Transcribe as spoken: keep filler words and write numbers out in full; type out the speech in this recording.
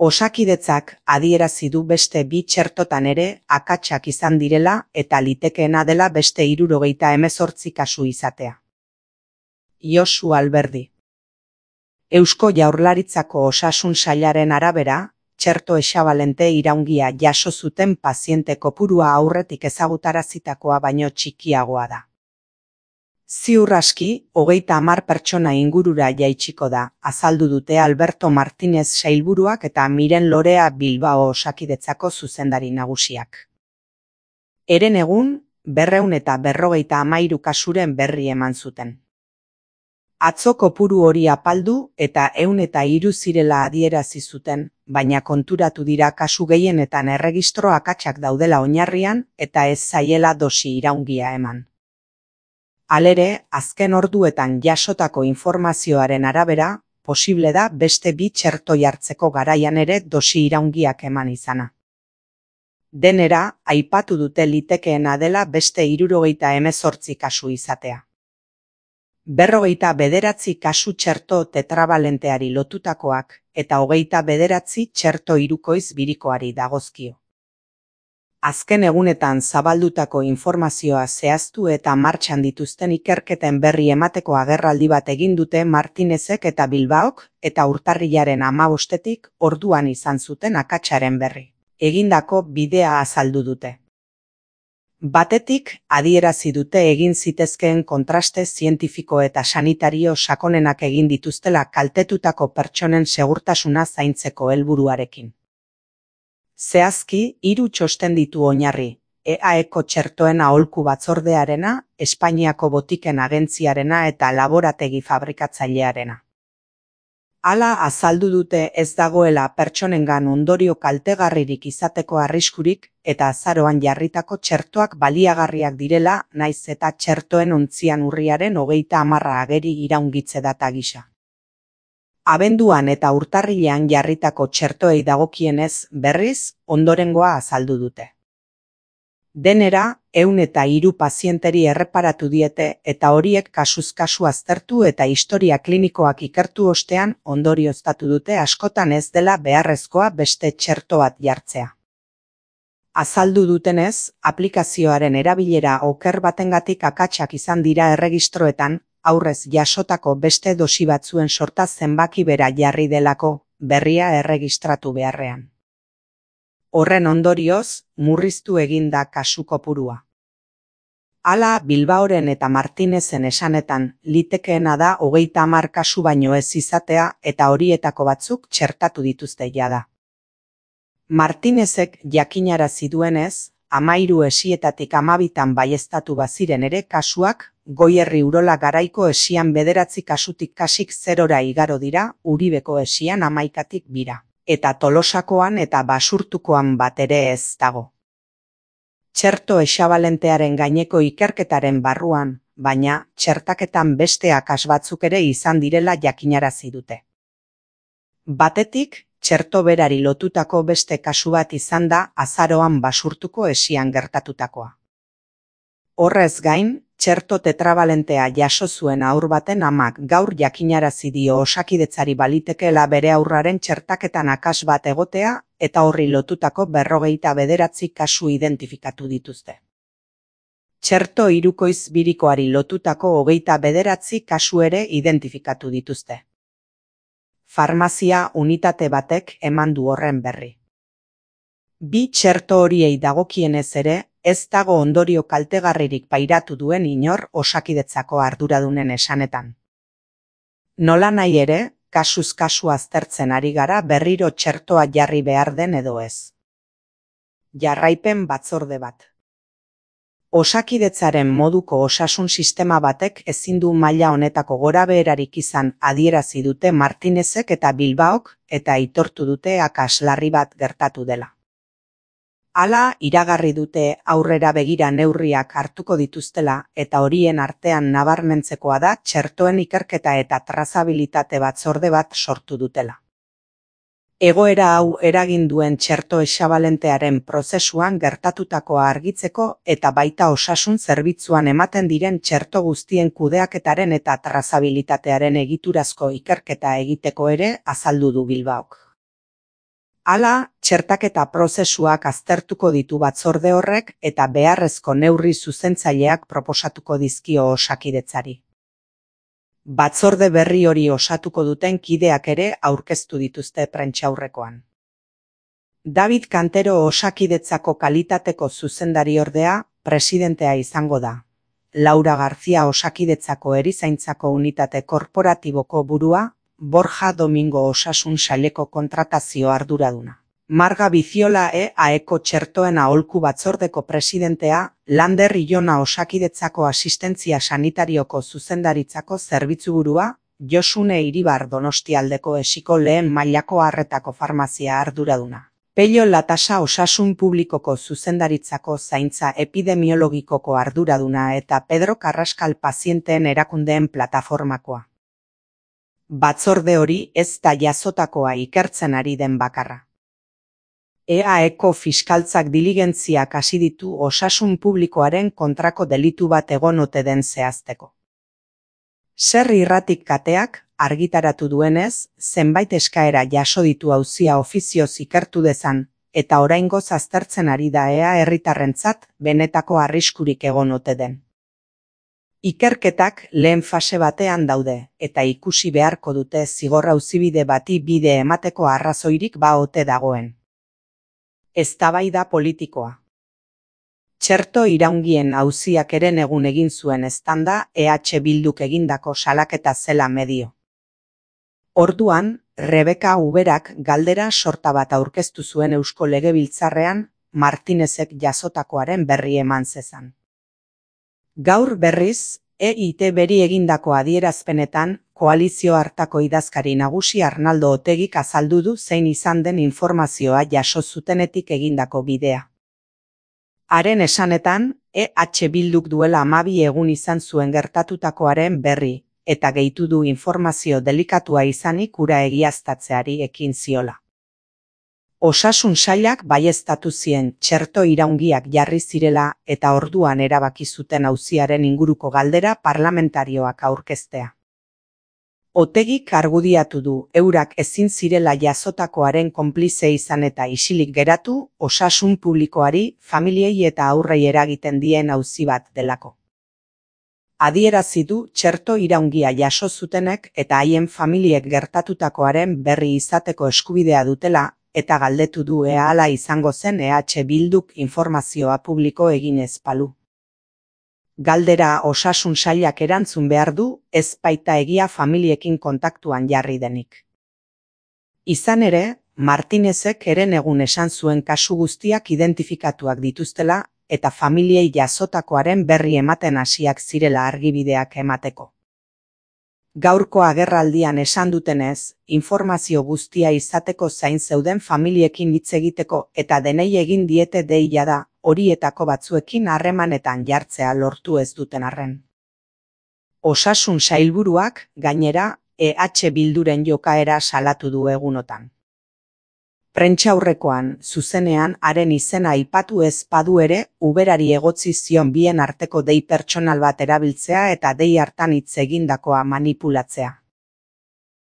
Osakidetzak adierazi du beste bi txertotan ere akatsak izan direla eta litekeena dela beste hirurogeita hemezortzi kasu izatea. Josu Alberdi. Eusko Jaurlaritzako Osasun Sailaren arabera, txerto hexabalente iraungia jaso zuten paziente kopurua aurretik ezagutarazitakoa baino txikiagoa da. Ziur aski, hogeita hamar pertsona ingurura jaitsiko da, azaldu dute Alberto Martínez sailburuak eta Miren Lorea Bilbao Osakidetzako zuzendari nagusiak. Heren egun, berrehun eta berrogeita hamairu kasuren berri eman zuten. Atzo kopuru hori apaldu eta ehun eta hiru zirela adierazi zuten, baina konturatu dira kasu gehienetan erregistro akatsak daudela oinarrian eta ez zaiela dosi iraungia eman. Halere, azken orduetan jasotako informazioaren arabera, posible da beste bi txerto jartzeko garaian ere dosi iraungiak eman izana. Denera, aipatu dute litekeena dela beste hirurogeita hemezortzi kasu izatea. Berrogeita bederatzi kasu txerto tetrabalenteari lotutakoak eta hogeita bederatzi txerto hirukoiz birikoari dagozkio. Azken egunetan zabaldutako informazioa zehaztu eta martxan dituzten ikerketen berri emateko agerraldi bat egin dute Martinezek eta Bilbaok eta urtarrilaren hamabostetik orduan izan zuten akatsaren berri. Egindako bidea azaldu dute. Batetik, adierazi dute egin zitezkeen kontraste zientifiko eta sanitario sakonenak egin dituztela kaltetutako pertsonen segurtasuna zaintzeko helburuarekin. Zehazki, hiru txosten ditu oinarri, E A Eko txertoen aholku batzordearena, Espainiako botiken agentziarena eta laborategi fabrikatzailearena. Hala azaldu dute ez dagoela pertsonengan ondorio kaltegarririk izateko arriskurik eta azaroan jarritako txertoak baliagarriak direla naiz eta txertoen ontzian urriaren hogeita hamarra ageri iraungitze data gisa. Abenduan eta urtarrilean jarritako txertoei dagokienez berriz ondorengoa azaldu dute. Denera, ehun eta hiru pazienteri erreparatu diete eta horiek kasuz kasu aztertu eta historia klinikoak ikertu ostean ondorioztatu dute askotan ez dela beharrezkoa beste txerto bat jartzea. Azaldu dutenez, aplikazioaren erabilera oker batengatik akatsak izan dira erregistroetan, aurrez jasotako beste dosi batzuen sorta zenbaki bera jarri delako, berria erregistratu beharrean. Horren ondorioz, murriztu egin da kasu kopurua. Hala, Bilbaoren eta Martinezen esanetan, litekeena da hogeita hamar kasu baino ez izatea eta horietako batzuk txertatu dituzte jada. Martinezek jakinarazi duenez, hamairu esietatik hamabitan baieztatu baziren ere kasuak, Goierri Urola Garaiko esian bederatzi kasutik kasik zerora igaro dira, Uribeko esian hamaikatik bira, eta Tolosakoan eta Basurtukoan bat ere ez dago. Txerto hexabalentearen gaineko ikerketaren barruan, baina txertaketan beste akas batzuk ere izan direla jakinarazi dute. Batetik, txerto berari lotutako beste kasu bat izan da azaroan Basurtuko esian gertatutakoa. Horrez gain, txerto tetrabalentea jaso zuen haur baten amak gaur jakinarazi dio Osakidetzari balitekeela bere haurraren txertaketan akas bat egotea eta horri lotutako berrogeita bederatzi kasu identifikatu dituzte. Txerto hirukoiz birikoari lotutako hogeita bederatzi kasu ere identifikatu dituzte. Farmazia unitate batek eman du horren berri. Bi txerto horiei dagokienez ere, ez dago ondorio kaltegarririk pairatu duen inor Osakidetzako arduradunen esanetan. Nola nahi ere, kasuz kasu aztertzen ari gara berriro txertoa jarri behar den edo ez. Jarraipen batzorde bat. Osakidetzaren moduko osasun sistema batek ezin du maila honetako gorabeherarik izan adierazi dute Martinezek eta Bilbaok eta aitortu dute akas larri bat gertatu dela. Hala, iragarri dute aurrera begira neurriak hartuko dituztela eta horien artean nabarmentzekoa da txertoen ikerketa eta trazabilitate batzorde bat sortu dutela. Egoera hau eragin duen txerto hexabalentearen prozesuan gertatutakoa argitzeko eta baita osasun zerbitzuan ematen diren txerto guztien kudeaketaren eta trazabilitatearen egiturazko ikerketa egiteko ere azaldu du Bilbaok. Hala, txertaketa prozesuak aztertuko ditu batzorde horrek eta beharrezko neurri zuzentzaileak proposatuko dizkio Osakidetzari. Batzorde berri hori osatuko duten kideak ere aurkeztu dituzte prentsaurrekoan. David Cantero Osakidetzako kalitateko zuzendariordea presidentea izango da. Laura García Osakidetzako erizaintzako unitate korporatiboko burua, Borja Domingo Osasun Saileko kontratazio arduraduna. Marga Biziola E A Eko txertoen aholku batzordeko presidentea, Lander Ilona Osakidetzako asistentzia sanitarioko zuzendaritzako zerbitzuburua, Josune Iribar Donostialdeko esiko lehen mailako arretako farmazia arduraduna. Pello Latasa Osasun Publikoko zuzendaritzako zaintza epidemiologikoko arduraduna eta Pedro Carrascal pazienteen erakundeen plataformakoa. Batzorde hori ez da jasotakoa ikertzen ari den bakarra. E A Eko fiskaltzak diligentziak hasi ditu osasun publikoaren kontrako delitu bat egon ote den zehazteko. Zer irratik kateak argitaratu duenez, zenbait eskaera jaso ditu auzia ofizioz ikertu dezan, eta oraingoz aztertzen ari da ea herritarrentzat benetako arriskurik egon ote den. Ikerketak lehen fase batean daude, eta ikusi beharko dute zigor auzibide bati bide emateko arrazoirik ba ote dagoen. Eztabaida politikoa. Txerto iraungien auziak eren egun egin zuen eztanda E H Bilduk egindako salaketa zela medio. Orduan, Rebeka Uberak galdera sorta bat aurkeztu zuen Eusko Legebiltzarrean, Martinezek jasotakoaren berri eman zezan. Gaur berriz, E I T beri egindako adierazpenetan, koalizio hartako idazkari nagusi Arnaldo Otegik azaldu du zein izan den informazioa jaso zutenetik egindako bidea. Haren esanetan, E H Bilduk duela hamabi egun izan zuen gertatutakoaren berri, eta gehitu du informazio delikatua izanik hura egiaztatzeari ekin ziola. Osasun sailak baieztatu zien txerto iraungiak jarri zirela eta orduan erabaki zuten auziaren inguruko galdera parlamentarioak aurkeztea. Otegik argudiatu du eurak ezin zirela jasotakoaren konplize izan eta isilik geratu osasun publikoari, familiei eta aurrei eragiten dien auzi bat delako. Adierazi du txerto iraungia jaso zutenek eta haien familiek gertatutakoaren berri izateko eskubidea dutela, eta galdetu du ea hala izango zen E H Bilduk informazioa publiko eginez balu. Galdera osasun sailak erantzun behar du, ez baita egia familiekin kontaktuan jarri denik. Izan ere, Martinezek eren egun esan zuen kasu guztiak identifikatuak dituztela, eta familiei jasotakoaren berri ematen hasiak zirela argibideak emateko. Gaurko agerraldian esan dutenez, informazio guztia izateko zain zeuden familiekin hitz egiteko eta denei egin diete deia da, horietako batzuekin harremanetan jartzea lortu ez duten arren. Osasun sailburuak, gainera, E H Bilduren jokaera salatu du egunotan. Prentsaurrekoan, zuzenean haren izena aipatu ez badu ere, Uberari egotzi zion bien arteko dei pertsonal bat erabiltzea eta dei hartan hitz egindakoa manipulatzea.